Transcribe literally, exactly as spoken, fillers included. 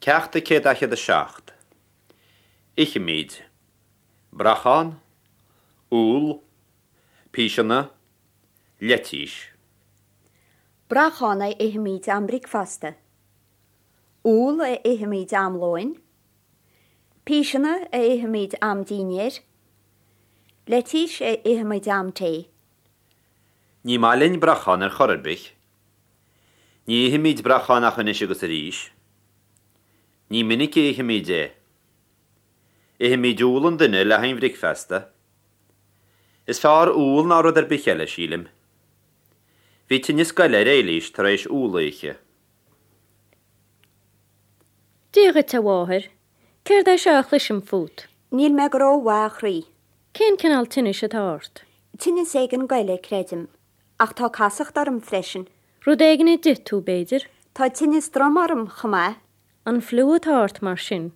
Ceacht a céad daichead a seacht. Ithimid. Brachán, úll, píseanna, leitís. Brachán a ithimid am bricfeasta. Úll a ithimid am lóin. Píseanna a ithimid am dinnéir. Leitís a ithimid am tae. Ní maith linn brachán ar chor ar bith. Ní ithimid brachán ach anois agus arís. Ní minic a ithimid é. Ithimid úll an duine le haghaidh an bhricfeasta. Is fearr úll ná rud ar bith eile, sílim. Bhí tinneas goile ar Éilís tar éis úll a ithe. Dia dhuit, a mháthair, Céard é seo a chloisim fút? Níl mé go rómhaith, a chroí. Cén cineál tinnis atá ort? Tinneas éigin goile, creidim, ach tá casacht orm freisin. Rud éigin a d'ith tú, b'fhéidir? Tá tinneas droma orm chomh maith. An fliú atá ort mar sin?